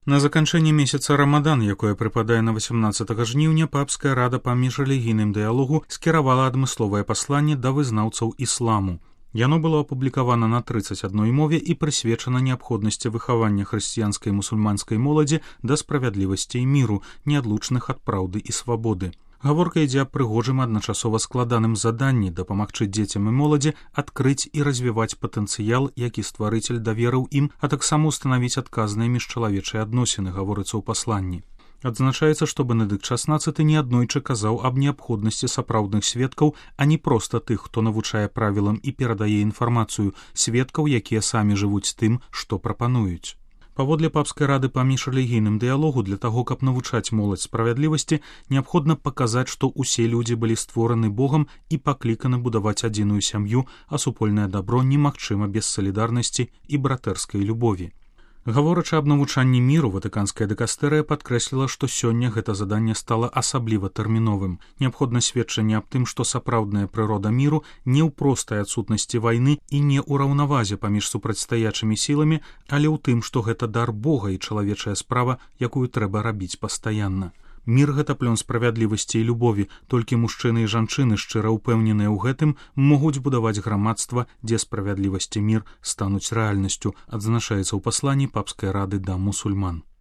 На заканчэнні месяца Рамадан, якое прыпадае на 18 жніўня, папская рада па міжрэлігійным дыялогу скіравала адмысловае пасланне да вызнаўцаў ісламу. Яно было апублікавана на 31 мове і прысвечана неабходнасці выхавання хрысціянскай і мусульманскай моладзі да справядлівасці і міру, неадлучных ад праўды і свабоды. Гаворка ідзе аб прыгожым адначасова складаным заданні дапамагчы дзецям і моладзі адкрыць і развіваць патэнцыял, які стварыцель даверыў ім, а таксама ўстанавіць адказныя міжчалавечыя адносіны, гаворыцца ў пасланні. Адзначаецца, што Бенедыкт XVI неаднойчы казаў аб неабходнасці сапраўдных сведкаў, а не проста тых, хто навучае правілам і перадае інфармацыю, сведкаў, якія самі жывуць тым, што прапануюць. Паводле папскай рады па міжрэлігійным дыялогу, для таго, каб навучаць моладзь справядлівасці, неабходна паказаць, што ўсе людзі былі створаны Богам і пакліканы будаваць адзіную сям'ю, а супольнае дабро немагчыма без салідарнасці і братэрскай любові. Гаворачы аб навучанні міру, ватыканская дыкастэрыя падкрэсліла, што сёння гэта заданне стала асабліва тэрміновым. Неабходна сведчанне аб тым, што сапраўдная прырода міру не ў простай адсутнасці вайны і не ў раўнавазе паміж супрацьстаячымі сіламі, але ў тым, што гэта дар Бога і чалавечая справа, якую трэба рабіць пастаянна. Мір — гэта плён справядлівасці і любові, толькі мужчыны і жанчыны, шчыра ўпэўненыя ў гэтым, могуць будаваць грамадства, дзе справядлівасць і мір стануць рэальнасцю, адзначаецца ў пасланні папскай рады да мусульман.